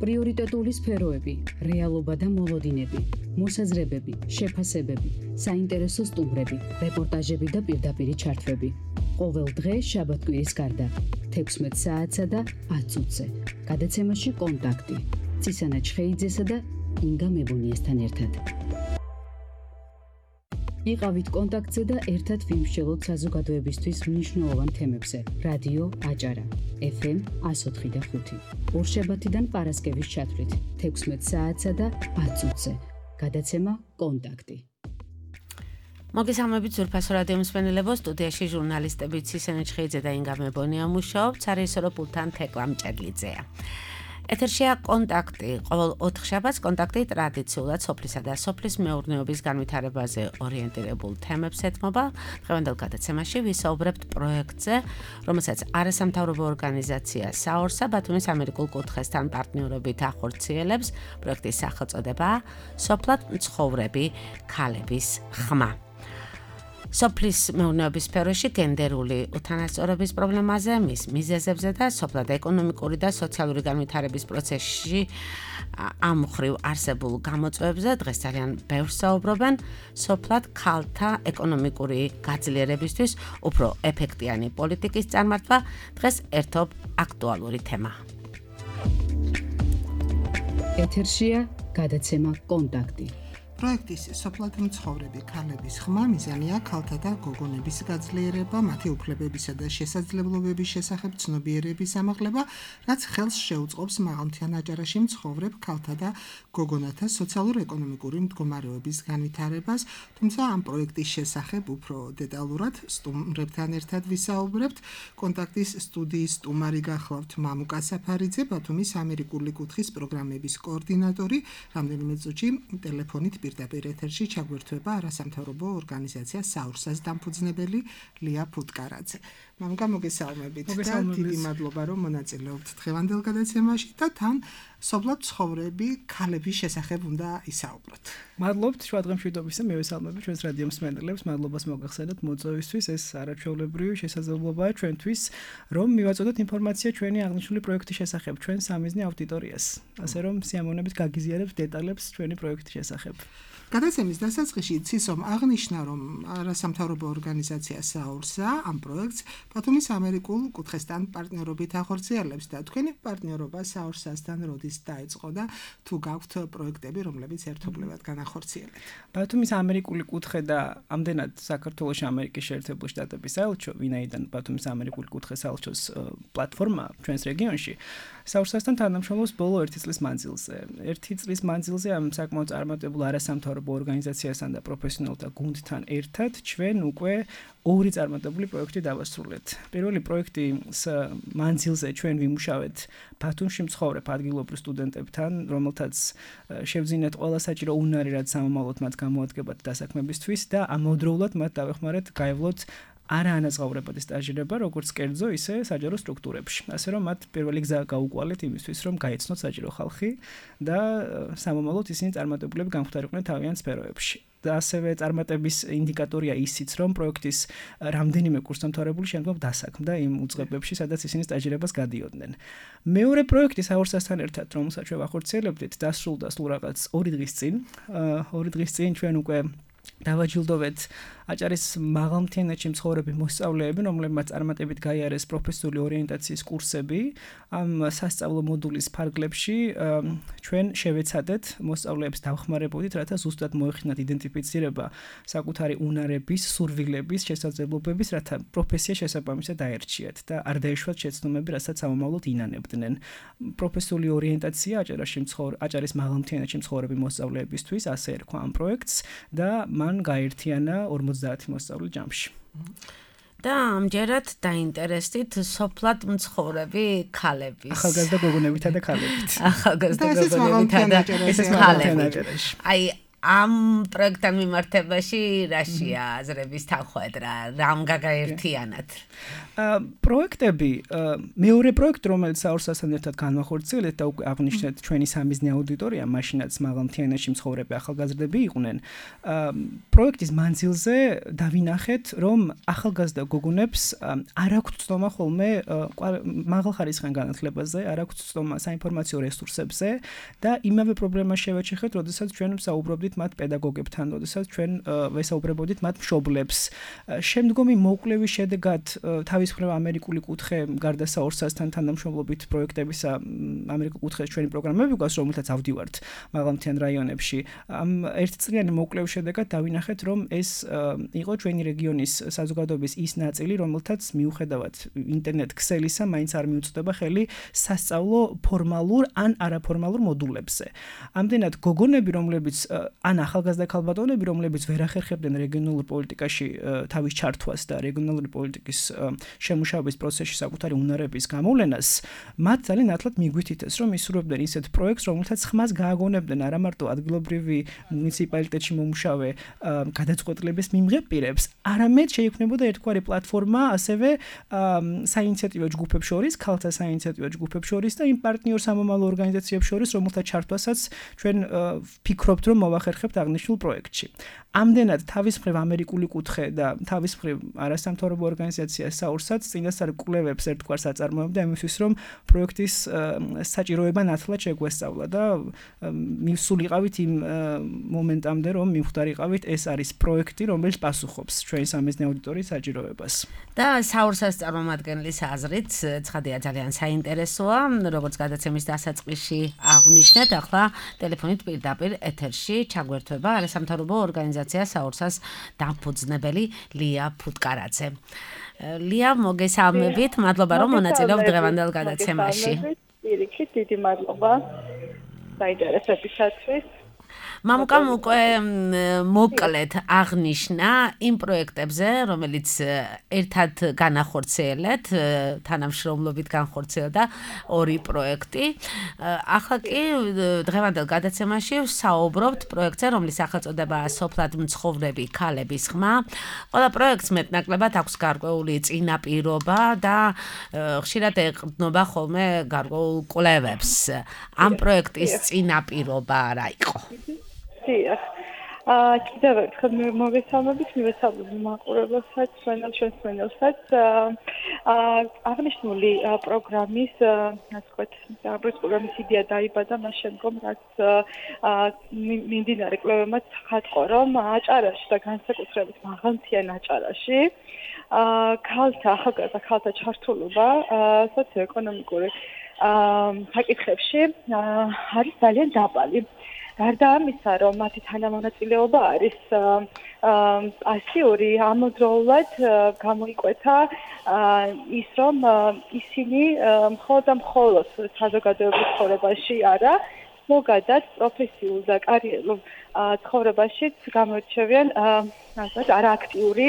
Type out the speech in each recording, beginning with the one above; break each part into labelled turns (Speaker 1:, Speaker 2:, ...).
Speaker 1: პრიორიტეტული სფეროები, რეალობა და მოლოდინები, მოსაზრებები, შეფასებები, საინტერესო სტუმრები, რეპორტაჟები და პირდაპირი ჩართვები. ყოველ დღე შაბათ-კვირის გარდა 16 საათსა და 10 წუთზე. გადაცემაში კონტაქტი. ცისანა ჩხეიძესა და ინგა მებონიესთან ერთად. იყავით კონტაქტზე და ერთად ვიმსჯელოთ საზოგადოებისთვის მნიშვნელოვან თემებზე. რადიო აჭარა, FM 104.5. ორშაბათიდან პარასკევის ჩათვლით 16 საათსა და 10 წუთზე. გადაცემა კონტაქტი.
Speaker 2: მოგესალმებით ზურფასო რადიო მსმენელებო, სტუდიაში ჟურნალისტები ცისანა ჩხეიძე და ინგა მებონია მუშაობთ, სარეჟისორო პულტთან თეკლა მჭედლიძეა. ეთერშია კონტაქტი. ყოველ 4 შაბათს კონტაქტი ტრადიციულად სოფლისა და სოფლის მეურნეობის განვითარებაზე ორიენტირებულ თემებს ეთმობა. დღევანდელ გადაცემაში ვისაუბრებთ პროექტზე, რომელსაც არასამთავრობო ორგანიზაცია საორსა ბათუმის ამერიკულ კუთხესთან პარტნიორობით ახორციელებს. პროექტის სახელწოდებაა სოფლად მცხოვრები ქალების ხმა. სოფლის მეურნეობის სფეროში გენდერული უთანასწორობის პრობლემაზე, მის მიზეზებზე და სოფლად ეკონომიკური და სოციალური განვითარების პროცესში ამ მხრივ არსებულ გამოწვევებზე დღეს ძალიან ბევრს საუბრობენ. სოფლად ქალთა ეკონომიკური გაძლიერებისთვის უფრო ეფექტიანი პოლიტიკის წარმართვა დღეს ერთობ აქტუალური თემა.
Speaker 1: ეთერშია გადაცემა კონტაქტი.
Speaker 3: პროექტის სოფლად მცხოვრები ქალების ხმა მიზანია ქალთა და გოგონების გაძლიერება, მათი უფლებებისა და შესაძლებლობების შესახებ ცნობიერების ამაღლება, რაც ხელს შეუწყობს მაღალმთიან აჭარაში მცხოვრებ ქალთა და გოგონათა სოციალურ-ეკონომიკური მდგომარეობის განვითარებას, თუმცა ამ პროექტის შესახებ უფრო დეტალურად სტუმრებთან ერთად ვისაუბრებთ. კონტაქტის სტუდიის სტუმარი გახლავთ მამუკა საფარიძე, ბათუმის ამერიკული კუთხის პროგრამების კოორდინატორი, რამდენიმე წუთში ტელეფონით პირდაპირ ეთერში ჩაგვერთვება არასამთავრობო ორგანიზაცია საურსას დამფუძნებელი ლია ფუტკარაძე. მამუკა, მოგესალმებით და დიდი მადლობა რომ მონაწილეობთ დღევანდელ გადაცემაში და თან სოფლად მცხოვრები ქალების შესახებ უნდა ისაუბროთ.
Speaker 4: მადლობთ შუადღემშვიდობისა, მივესალმებით ჩვენს რადიო მსმენელებს, მადლობას მოგახსენოთ მოწვევისთვის. ეს არაჩვეულებრივი შესაძლებლობაა ჩვენთვის, რომ მივაწოდოთ ინფორმაცია ჩვენი აღნიშნული პროექტის შესახებ, ჩვენ სამიზნე აუდიტორიას, ასე რომ სიამოვნებით გაგიზიარებთ დეტალებს ჩვენი პროექტის შესახებ.
Speaker 3: გადაცემის დასაწყისში ცისომ აღნიშნა, რომ არასამთავრობო ორგანიზაცია საურსა ამ პროექტს ბათუმის ამერიკულ კუთხესთან პარტნიორობით ახორციელებს და თქვენი პარტნიორობა საურსასთან როდის დაიწყო და თუ გაქვთ პროექტები, რომლებიც ერთობლივად განახორციელებთ?
Speaker 4: ბათუმის ამერიკული კუთხე და ამდენად საქართველოში ამერიკის შეერთებული შტატების საელჩო, ვინაიდან ბათუმის ამერიკული კუთხე საელჩოს პლატფორმა ჩვენს რეგიონში საურსასთან თანამშრომლობს ბოლო 1 წლის მანძილზე. 1 წლის მანძილზე ამ საკმაოდ წარმატებულ არასამთავრობო ორგანიზაციასთან და პროფესიონალთა გუნდთან ერთად ჩვენ უკვე 2 წარმატებული პროექტი დავასრულეთ. პირველი პროექტის მანძილზე ჩვენ ვიმუშავეთ ბათუმში მცხოვრებ ადგილობრივ სტუდენტებთან, რომელთაც შევძინეთ ყველა საჭირო უნარი, რაც სამომავლოდ მათ გამოადგებათ დასაქმებისთვის და ამავდროულად მათ დავეხმარეთ გაევლოთ არაანაზღაურებადი სტაჟირება, როგორც კერძო, ისე საჯარო სტრუქტურებში. ასე რომ მათ პირველი გზა გაუყვალეთ იმისთვის, რომ გაეცნოთ საჯარო ხალხი და სამომავლოდ ისინი წარმატებულები გამختარიყვნენ თავიანთ სფეროებში. და ასევე წარმატების ინდიკატორია ისიც, რომ პროექტის რამდენიმე კურსდამთავრებული შემდგომ დასაქმდა იმ უწყებებში, სადაც ისინი სტაჟირებას გადიოდნენ. მეორე პროექტი საურსასთან ერთად, რომელსაც ჩვენ ვახორციელებდით, დასრულდა სულ რაღაც 2 დღის წინ. 2 დღის წინ ჩვენ უკვე დავაჯილდოვეთ აჭარის მაღალმთიანეთში მცხოვრები მოსწავლეები, რომლებმაც წარმატებით გაიარეს პროფესიული ორიენტაციის კურსები. ამ სასწავლო მოდულის ფარგლებში ჩვენ შევეცადეთ მოსწავლეებს დავხმარებოდით, რათა ზუსტად მოეხდინათ იდენტიფიცირება საკუთარი უნარების, სურვილების, შესაძლებლობების, რათა პროფესია შესაბამისად დაერჩიათ და არ დაეშვათ შეცდომები, რასაც სამომავლოდ ინანებდნენ. პროფესიული ორიენტაცია აჭარის მაღალმთიანეთში მცხოვრები მოსწავლეებისთვის, ასე ერქვა ამ პროექტს და მან გაერთიანა 50 მოსწავლე ჯამში.
Speaker 2: და ამჯერად დაინტერესდით სოფლად მცხოვრები ქალების.
Speaker 4: ახალგაზრდა გოგონებითა და ქალებით.
Speaker 2: ახალგაზრდა გოგონებითა და ქალებით. აი ამ პროექტთან მიმართებაში რაშია აზრების თანხმედრა, რამ გაგაერთიანათ?
Speaker 4: პროექტები, მეორე პროექტი, რომელიც საურსასთან ერთად განვახორციელეთ და უკვე აღნიშნეთ ჩვენი სამიზნე აუდიტორია, მაშინაც მაღალმთიანეთში მცხოვრები ახალგაზრდები იყვნენ. პროექტის მანძილზე დავინახეთ, რომ ახალგაზრდა გოგონებს არ აქვთ ცნობა ხოლმე მაღალხარისხიან განათლებაზე, არ აქვთ ცნობა საინფორმაციო რესურსებზე და იმავე პრობლემას შევეჩეხეთ, როდესაც ჩვენ ვსაუბრობდით მათ პედაგოგებთან, როდესაც ჩვენ ვესაუბრებოდით მათ მშობლებს. შემდგომი მოკვლევის შედეგად თავის მხრივ ამერიკული კუთხე გარდა საურსასთან თანამშრომლობით პროექტებისა ამერიკული კუთხეს ჩვენი პროგრამები გვაქვს, რომელთაც ავდივართ მაღალმთიან რაიონებში. ამ ერთწლიანი მოკვლევის შედეგად დავინახეთ, რომ ეს იყო ჩვენი რეგიონის საზოგადოების ის ნაწილი, რომელთაც მიუხედავად ინტერნეტ ქსელისა, მაინც არ მიუწვდება ხელი სასწავლო ფორმალურ ან არაფორმალურ მოდულებზე. ამდენად გოგონები, რომლებიც ან ახალგაზრდა ქალბატონები, რომლებიც ვერ ახერხებდნენ რეგიონულ პოლიტიკაში თავის ჩართვას და რეგიონალური პოლიტიკის შემუშავების პროცესში საკუთარი უნარების გამოვლენას, მათ ძალიან ათლად მიგვითითეს, რომ ისურვებდნენ ისეთ პროექტს, რომელთაც ხმას გააგონებდნენ არა მარტო ადგილობრივი მუნიციპალიტეტში მომუშავე გადაწყვეტილების მიმღებ პირებს, არამედ შეიქმნებოდა ერთგვარი პლატფორმა ასევე საინიციატივო ჯგუფებს შორის, ქალთა საინიციატივო ჯგუფებს შორის და იმ პარტნიორ სამომავლო ორგანიზაციებს შორის, რომელთა ჩართვასაც ჩვენ ვფიქრობთ, რომ მოვახერხებთ აღნიშნულ პროექტში. ამდენად თავის მხრივ ამერიკული კუთხე და თავის მხრივ არასამთავრობო ორგანიზაცია საურსაც წინასწარ კვლევებს ერთგვარს აწარმოებდა იმისთვის, რომ პროექტის საჭიროება ნათლად შეგვესწავლა და მივსულიყავით იმ მომენტამდე, რომ მივხვდარიყავით ეს არის პროექტი, რომელიც პასუხობს ჩვენი სამიზნე აუდიტორიის საჭიროებას.
Speaker 2: და საურსას წარმომადგენლის აზრით, ცხადია ძალიან საინტერესოა, როგორც გადაცემის დასაწყისში აღნიშნეთ, ახლა ტელეფონით პირდაპირ ეთერში ჩაგვერთვება არასამთავრობო ორგანიზაცია საურსას დამფუძნებელი ლია ფუტკარაძე. ლია, მოგესალმებით, მადლობა რომ მონაწილეობთ დღევანდელ გადაცემაში.
Speaker 5: პირიქით, დიდი მადლობა საინტერესებისათვის.
Speaker 2: მამუკამ უკვე მოკლედ აღნიშნა იმ პროექტებზე, რომელიც ერთად განახორციელეთ, თანამშრომლობით განხორციელდა ორი პროექტი. ახლა კი დღევანდელ გადაცემაში ვსაუბრობთ პროექტზე, რომლის სახელწოდებაა სოფლად მცხოვრები ქალების ხმა. ყველა პროექტს მეტნაკლებად აქვს გარკვეული წინაპირობა და ხშირად ეყრდნობა ხოლმე გარკვეულ კვლევებს. ამ პროექტის წინაპირობა რა იყო?
Speaker 5: კიდევ ერთხელ მოგესალმებით, მივესალმებით მაყურებელსაც, ჩვენს მენელსაც. აღნიშნული პროგრამის, ასე ვთქვათ, პროგრამის იდეა დაიბადა მას შემდგომ, რაც მიმდინარე კვლევებმაც ხატყო, რომ აჭარაში და განსაკუთრებით მაღალმთიან აჭარაში ახალგაზრდა ქალთა ჩართულობა სოციოეკონომიკური საკითხებში არის ძალიან დაბალი. გარდა ამისა, რომ მათი თანამონაწილეობა არის პასიური, ამავდროულად გამოიკვეთა ის, რომ ისინი მხოლოდ საზოგადოების ცხოვრებაში არა, ზოგადად პროფესიულ და კარიერულ ცხოვრებაშიც გამოირჩევიან არააქტიური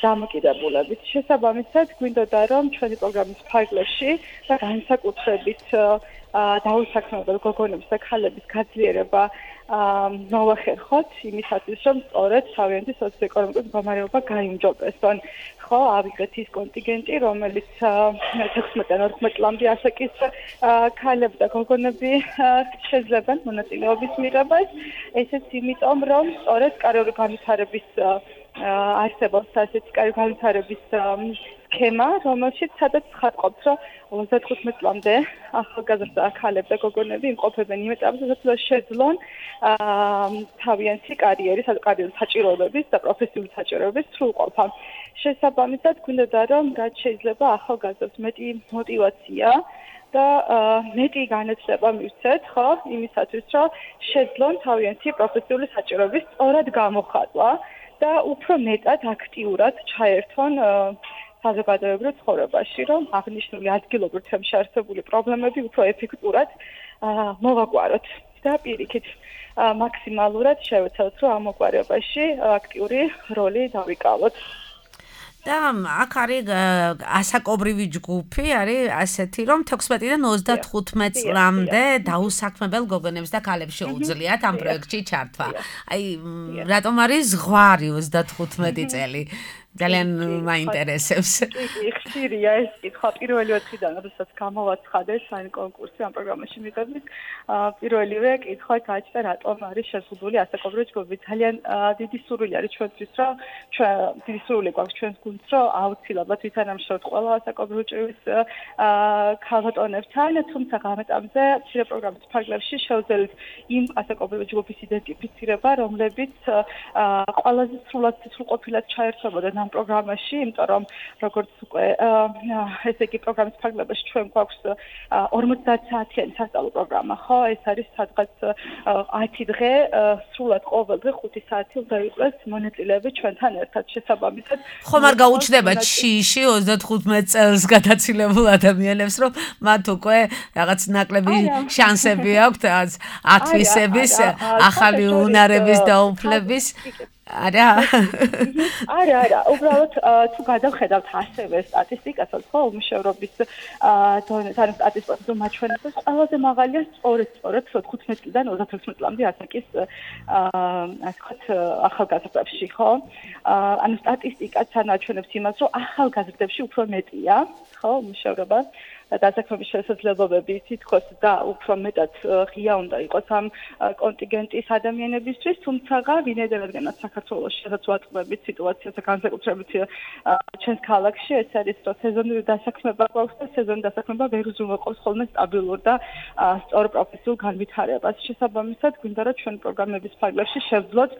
Speaker 5: დამოკიდებულებით. შესაბამისად, გვინდოდა რომ ჩვენი პროგრამის ფარგლებში და განსაკუთრებით დაუსაქმებელ გოგონების და ქალების გაძლიერება მოვახერხოთ იმისათვის, რომ სწორედ თავიანთი სოციოეკონომიკური მდგომარეობა გაიმჯობესონ. ხო, ავიღეთ ის კონტინგენტი, რომელიც 16-14 წლამდე ასაკის ქალები და გოგონები შეძლებენ მონაწილეობის მიღებას. ესეც იმიტომ, რომ სწორედ კარიერული განვითარების არსებობს ასეთი კარიერული განვითარების სქემა, რომელშიც სადაც ხატყობს, რომ 35 წლამდე ახალგაზრდა ქალები და გოგონები იმყოფებენ იმ ეტაპზე, სადაც შეძლონ თავიანთი კარიერის საჭიროებების და პროფესიული საჭიროებების სრულყოფა. შესაბამისად, გვინდოდა რომ რაც შეიძლება ახალგაზრდებს მეტი მოტივაცია და მეტი განათლება მივცეთ, ხო, იმისათვის, რომ შეძლონ თავიანთი პროფესიული საჭიროების სწორად გამოხატვა და უფრო მეტად აქტიურად ჩაერთონ საზოგადოებრივ ცხოვრებაში, რომ აღნიშნული ადგილობრივ თემში არსებული პრობლემები უფრო ეფექტურად მოვაგვაროთ და პირიქით მაქსიმალურად შევეცადოთ, რომ ამ მოგვარებაში აქტიური როლი დავიკავოთ.
Speaker 2: და აქ არის ასაკობრივი ჯგუფი, არის ასეთი, რომ 16-დან 35 წლამდე დაუსაქმებელ გოგონებს და ქალებს შეუძლიათ ამ პროექტში ჩართვა. აი, რატომ არის ზღვარი 35 წელი? ძალიან მაინტერესებს.
Speaker 5: კი, ხშირია ეს კითხვა პირველი ოთხიდან, როდესაც გამოვაცხადეს საერთო კონკურსი ამ პროგრამაში მიღების, პირველივე კითხვა გაჩნდა, რატომ არის შეზღუდული ასაკობრივი ჯგუფი. ძალიან დიდი სურვილი არის ჩვენთვის, რომ დიდი სურვილი გვაქვს ჩვენს გუნდს, რომ აუცილებლად ვითანამშრომლოთ ყველა ასაკობრივი ჭრივის ქალბატონებთან, თუმცა გამეტამზე მცირე პროგრამის ფარგლებში შევძელით იმ ასაკობრივი ჯგუფის იდენტიფიცირება, რომლებიც ყველაზე სრულყოფილად ჩაერთვებოდნენ ამ პროგრამაში, იმიტომ რომ როგორც უკვე ესე იგი პროგრამის ფარგლებაში ჩვენ გვაქვს 50 საათიანი სასწავლო პროგრამა, ხო? ეს არის სადღაც 10 დღე, სრულად ყოველ დღე 5 საათი უნდა იყოს მონაწილეები ჩვენთან ერთად შესაბამისად.
Speaker 2: ხომ არ გაუჩნდება შიში 35 წელს გადაცილებულ ადამიანებს, რომ მათ უკვე რაღაც ნაკლები შანსები აქვთ ათვისების, ახალი უნარების დაუფლების. არა.
Speaker 5: არა, უბრალოდ თუ გადავხედავთ ასევე სტატისტიკასაც, ხო, უმუშევრობის დონეთან სტატისტიკას მაჩვენებს, ყველაზე მაღალია სწორედ 15 წლიდან 36 წლამდე ასაკის ასე ვთქვათ ახალგაზრდებში, ხო? ანუ სტატისტიკაც ანაჩვენებს იმას, რომ ახალგაზრდებში უფრო მეტია, ხო, უმუშევრობა. დასაქმების შესაძლებლობები თითქოს და უფრო მეტად ღია უნდა იყოს ამ კონტინგენტის ადამიანებისთვის, თუმცა ვინაიდანაც საქართველოში სადაც ვატყობებით სიტუაციას განსაკუთრებით ჩვენს ქალაქში ეს არის რომ სეზონური დასაქმება გვაქვს და სეზონური დასაქმება ვერ უზრუნველყოფს ხოლმე სტაბილურ და სწორ პროფესიულ განვითარებას. შესაბამისად, გვინდა რომ ჩვენ პროგრამების ფარგლებში შევძლოთ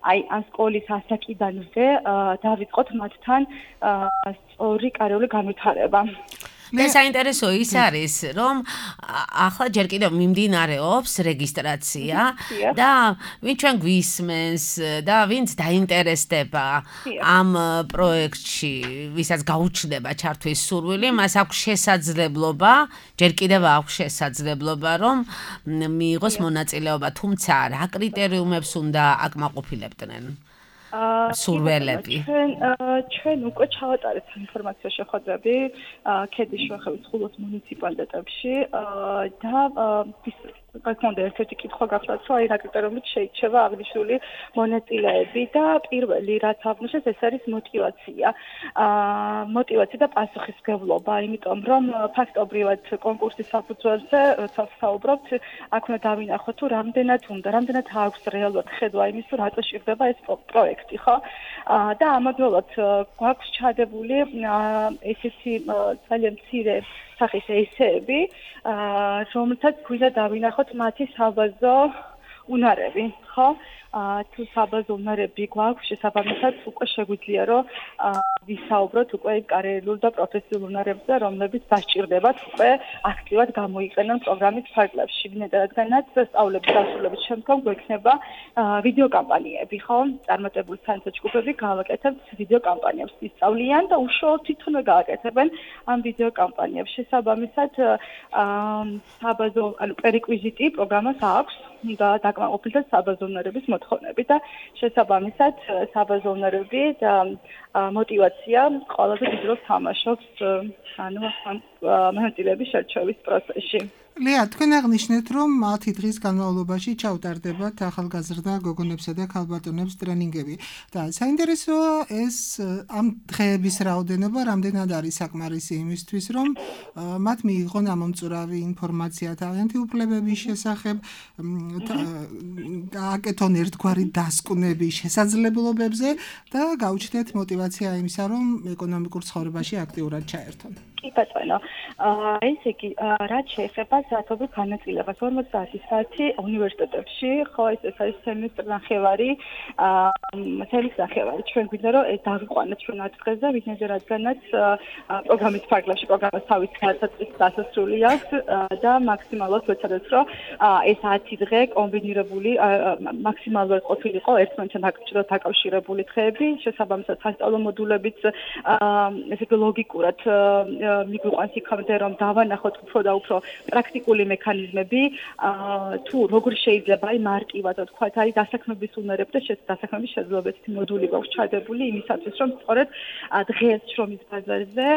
Speaker 5: აი ამ სკოლის ასაკიდანვე დავიწყოთ მათთან სწორი კარიული განვითარება.
Speaker 2: მე საინტერესო ის არის, რომ ახლა ჯერ კიდევ მიმდინარეობს რეგისტრაცია და ვინ ჩვენ გვისმენს და ვინც დაინტერესდება ამ პროექტში, ვისაც გაუჩნდება ჩართვის სურვილი, მას აქვს შესაძლებლობა, ჯერ კიდევ აქვს შესაძლებლობა, რომ მიიღოს მონაწილეობა, თუმცა რა კრიტერიუმებს უნდა აკმაყოფილებდნენ? სურველები.
Speaker 5: ჩვენ უკვე ჩავატარეთ ინფორმაცია შეხვედრები ქედის შუახევის ხულოს მუნიციპალიტეტებში და გქონდა ერთ-ერთი კითხვა გახლავთ, რომ აი რა კრიტერიუმით შეიძლება აღნიშნული მონაწილეები და პირველი რაც აღნიშნეს ეს არის მოტივაცია. მოტივაცია და პასუხისმგებლობა, იმიტომ რომ ფაქტობრივად კონკურსის საფუძველზე როცა ვსაუბრობთ, აქ უნდა დავინახოთ თუ რამდენად აქვს რეალურად ხედვა იმის, თუ რატო შეღდება ეს პროექტი, ხო? და ამავდროულად გვაქვს ჩადებული ესეთი ძალიან მცირე სახის ესეები, რომელთაც გვინდა დავინახოთ მათი საბაზო უნარები, ხო? თუ საბაზო უნარები გვაქვს, შესაბამისად უკვე შეგვიძლია რომ ვისაუბროთ უკვე კარიერულ და პროფესიულ უნარებზე, რომლებიც დასჭირდებათ უკვე აქტიურად გამოიყენონ პროგრამის ფარგლებში. რადგანაც სწავლების დასრულების შემდგომ გვექნება ვიდეო კამპანიები, ხო? წარმატებული საინტერესო ჯგუფები გავაკეთებთ ვიდეო კამპანიებს, ისწავლიან და უშუალოდ თვითონვე გააკეთებენ ამ ვიდეო კამპანიებს. შესაბამისად, საბაზო, ანუ პრეკვიზიტი პროგრამას აქვს და დაკმაყოფილდეს საბაზო უნარების მოთხოვნები და შესაბამისად საბაზო უნარები და მოტივაცია ყველაზე დიდ როლს თამაშობს ანუ ამ მონაწილეების შერჩევის პროცესში.
Speaker 3: ლეა, თქვენ აღნიშნეთ, რომ 10 დღის განმავლობაში ჩავტარდებათ ახალგაზრდა გოგონებსა და ქალბატონებს ტრენინგები და საინტერესოა ეს ამ დღეების რაოდენობა რამდენად არის საკმარისი იმისთვის, რომ მათ მიიღონ ამომწურავი ინფორმაცია თავიანთი უფლებების შესახებ, გააკეთონ ერთგვარი დასკვნები შესაძლებლობებზე და გაუჩნდეთ მოტივაცია იმისა, რომ ეკონომიკურ ცხოვრებაში აქტიურად ჩაერთონ.
Speaker 5: კი ბატონო, ესე იგი, რაც შეეხება საათობრივ განაწილებას 50 საათი უნივერსიტეტებში, ხო, ეს არის სემესტრის ნახევარი, ჩვენ გვინდა რომ დავიყვანოთ ჩვენ 10 დღეზე, რადგანაც პროგრამის ფარგლებში პროგრამას თავის დასასრული აქვს და მაქსიმალურად ვეცადოთ, რომ ეს 10 დღე კომბინირებული მაქსიმალურად ყოფილიყო ერთმანეთთან დაკავშირებული დღეები, შესაბამისად სასწავლო მოდულებიც ესე იგი ლოგიკურად მიგვიყვანს იქამდე რომ დავანახოთ უფრო და უფრო პრაქტიკული მექანიზმები თუ როგორ შეიძლება აი მარტივად ვთქვათ აი დასაქმების უნარები და დასაქმების შეძლებითი მოდული გვაქვს ჩადებული იმისათვის რომ სწორედ დღეს შრომის ბაზარზე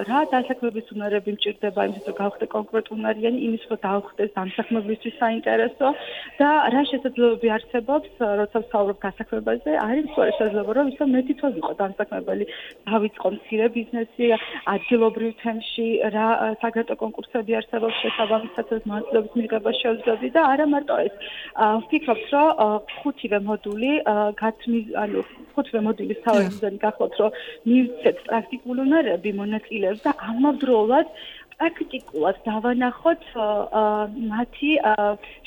Speaker 5: რა დასაქმების უნარები მჭირდება იმისთვის რომ გავხდე კონკრეტულნარიანი იმის რომ დავხდეს დასაქმებისთვის საინტერესო და რა შესაძლებლობები არსებობს როცა ვსაუბრობ დასაქმებაზე არის სწორედ შესაძლებლობა რომ ისო მე თვითონ ვიყო დასაქმებელი დავიწყო მცირე ბიზნესი ადგილობრივ თემში რა საგრაფო კონკურსები არსებობს შესაბამისად მონაწილეობის მიღება შევძლებდი და არა მარტო ეს ვფიქრობ რომ ხუთივე მოდული ხუთივე მოდულის თავი მიზანი გახლავთ რომ მივცეთ პრაქტიკული უნარები მონაწილეებს და ამავდროულად პრაქტიკულად დავანახოთ მათი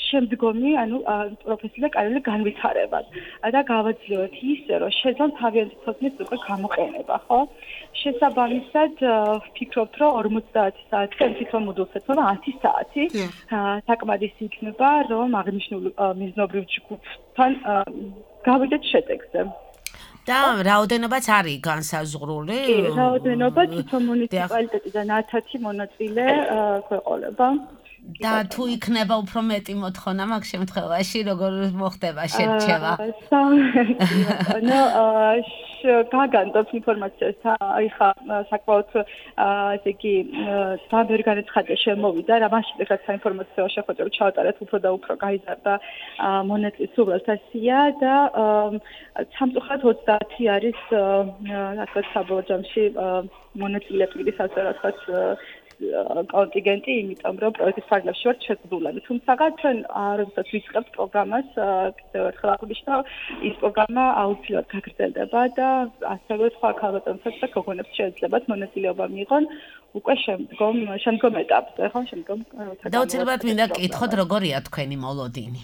Speaker 5: შემდგომი პროფესიული და კარიერული განვითარება და გავაძლევთ ისე რომ შეძლონ თავიანთი ცოდნის უკვე გამოყენება ხო შესაბამისად ვფიქრობთ რომ 50 საათი თვითონ მოდულს ეთმობა 10 საათი საკმარისი იქნება რომ აღნიშნული მიზნობრივ ჯგუფთან გავიდეთ შედეგზე
Speaker 2: და რაოდენობაც არის განსაზღვრული?
Speaker 5: კი, რაოდენობა თვითონ მუნიციპალიტეტიდან 10 მონაწილე გვეყოლება.
Speaker 2: და თუ იქნება უფრო მეტი მოთხოვნა მაგ შემთხვევაში, როგორ მოხდება შერჩევა? გაგანდობ ინფორმაციას აი ხა საკმაოდ ესე იგი დაბერ განაცხადა შემოვიდა რა მაშინ ეხლა საინფორმაციო შეხვედრა ჩავატარეთ უფრო და უფრო გაიზარდა მონაწილეთა სულთა სია და სამწუხაროდ 30 არის ასე საბოლოო ჯამში მონაწილეების ასე რა თქვა კონტინგენტი, იმიტომ რომ პროექტის ფარგლებში ვართ შეძლებული. თუმცა ჩვენ როდესაც ვიწყებთ პროგრამას, კიდევ ერთხელ აღვნიშნავ, ის პროგრამა აუცილებლად გაგრძელდება და ასევე სხვა ქალბატონებსაც და გოგონებს შეეძლებათ მონაწილეობა მიიღონ უკვე შემდგომ ეტაპზე, ხო, შემდგომ. და უცებად მინდა გკითხოთ, როგორია თქვენი მოლოდინი?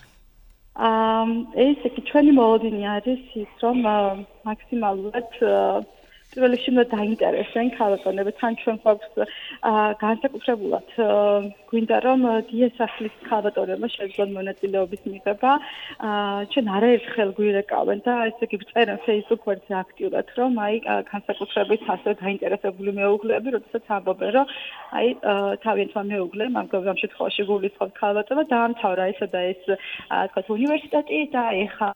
Speaker 5: ესე იგი, ჩვენი მოლოდინი არის ის, რომ მაქსიმალურად პირველ რიგში უნდა დაინტერესდნენ ქალბატონები, თან ჩვენ გვაქვს განსაკუთრებულად გვინდა რომ დიასახლის ქალბატონებმა შეძლონ მონაწილეობის მიღება. ჩვენ არაერთხელ გვირეკავენ და ესე იგი წერენ Facebook გვერდზე აქტიურად რომ აი განსაკუთრებით ასე დაინტერესებული მეუღლეები, როდესაც ამბობენ რომ აი თავიანთმა მეუღლემ ამ შემთხვევაში გულისხმობ ქალბატონმა დაამთავრა ესა და ეს თქვა უნივერსიტეტი და ეხა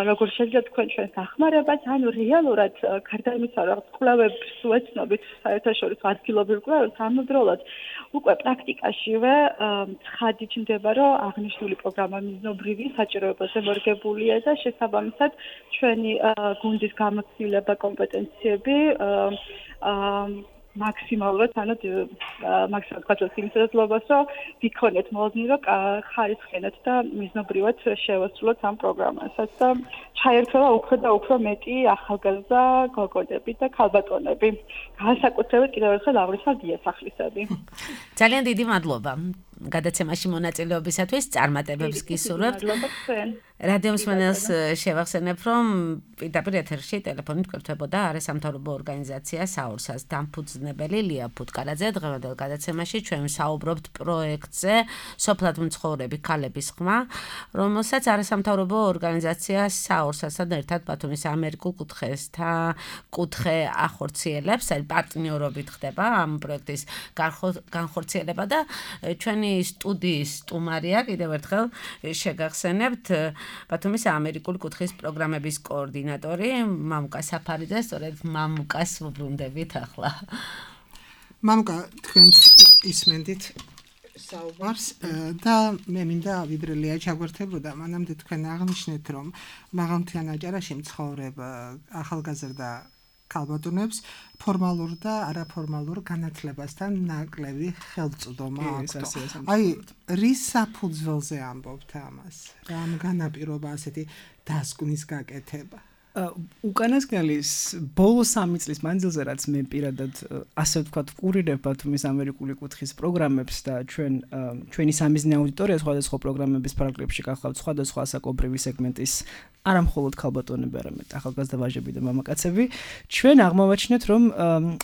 Speaker 5: როგორ შეიძლება თქვენ ჩვენს დახმარებას, ანუ რეალურად გარდა იმისა რომ კვლევებს ვეცნობით საერთაშორისო ადგილობრივ კვლევებს ამავდროულად უკვე პრაქტიკაშივე ცხადი ჩნდება რომ აღნიშნული პროგრამა მიზნობრივი საჭიროებაზე მორგებულია და შესაბამისად ჩვენი გუნდის გამოცდილება კომპეტენციები მაქსიმალურად მაქსიმალურად გვაძლევს იმ შესაძლებლობას რომ ვიქონეთ მოლოდინი რომ ხარისხენად და მიზნობრივად შევასრულოთ ამ პროგრამასაც და ჩაერთვლა უფრო და უფრო მეტი ახალგაზრდა გოგონები და ქალბატონები განსაკუთრებით კიდევ ერთხელ აღვნიშნავ დიასახლისები.
Speaker 2: ძალიან დიდი მადლობა გადაცემაში მონაწილეობისათვის, წარმატებებს გისურვებთ. რადიო მსმენელს შევახსენებ, რომ პირდაპირ ეთერში ტელეფონით გვერდებოდა არასამთავრობო ორგანიზაცია საურსას დამფუძნებელი ლია ფუტკარაძე. დღევანდელ გადაცემაში ჩვენ საუბრობთ პროექტზე სოფლად მცხოვრები ქალების ხმა, რომელსაც არასამთავრობო ორგანიზაცია საურსასთან ერთად ბათუმის ამერიკულ კუთხე ახორციელებს, აი პარტნიორობით ხდება ამ პროექტის განხორციელება და ჩვენი სტუდიის სტუმარია კიდევ ერთხელ შეგახსენებთ ბათუმის ამერიკული კუთხის პროგრამების კოორდინატორი მამუკა საფარიძე, სწორედ მამუკას ვუბრუნდებით ახლა.
Speaker 3: მამუკა, თქვენს ისმენდით საუბარს და მე მინდა ვიბრელია ჩაგვერთებოდა, მანამდე თქვენ აღნიშნეთ, რომ მაღალმთიან აჭარაში მცხოვრებ ახალგაზრდა ქალბატონებს ფორმალურ და არაფორმალურ განათლებასთან ნაკლები ხელწოდომა აქვს. აი, რის საფუძველზე ამბობთ ამას? რამ განაპირობა ასეთი დასკვნის გაკეთება?
Speaker 4: უკანასკნელი ბოლო 3 წლის მანძილზე რაც მე პირადად ასე ვთქვათ ვკურირებ ბათუმის ამერიკული კუთხის პროგრამებს და ჩვენი სამიზნე აუდიტორია სხვადასხვა პროგრამების ფარგლებში გახლავთ სხვადასხვა საკონკრეტო სეგმენტის არა მხოლოდ ქალბატონები, არამედ ახალგაზრდა ვაჟები და მამაკაცები, ჩვენ აღმოვაჩინეთ, რომ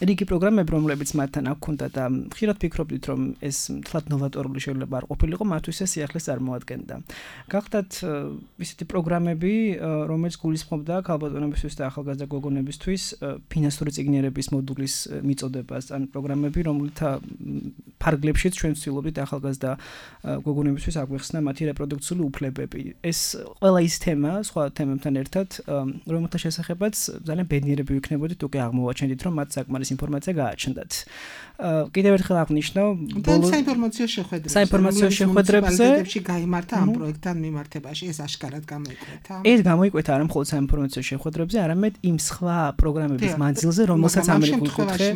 Speaker 4: რიგი პროგრამები, რომლებიც მათთან აქ ჰქონდა და ხშირად ფიქრობდით, რომ ეს თლად ნოვატორული შეიძლება არ ყოფილიყო, მათთვის სიახლეს წარმოადგენდა. გახდათ ისეთი პროგრამები, რომელიც გულისხმობდა ქალბატონებისთვის და ახალგაზრდა გოგონებისთვის ფინანსური წიგნიერების მოდულის მიწოდებას ან პროგრამები, რომელთა ფარგლებშიც ჩვენ ვცდილობთ ახალგაზრდა გოგონებისთვის აგვიხსნა მათი რეპროდუქციული უფლებები. ეს ყველა ის თემა, სხვა თემებთან ერთად, რომელთა შესახებაც ძალიან ბედნიერები ვიქნებოდით, უკვე აღმოვაჩენდით, რომ მათ საკმარის ინფორმაცია გააჩნდათ. კიდევ ერთხელ აღნიშნავ, საინფორმაციო შეხვედრებზე
Speaker 3: გაიმართა ამ პროექტთან მიმართებაში, ეს აშკარად გამოიკვეთა.
Speaker 4: ეს გამოიკვეთა არა მხოლოდ საინფორმაციო შეხვედრებზე, არამედ იმ სხვა პროგრამების მანძილზე, რომელსაც ამერიკული კუთხე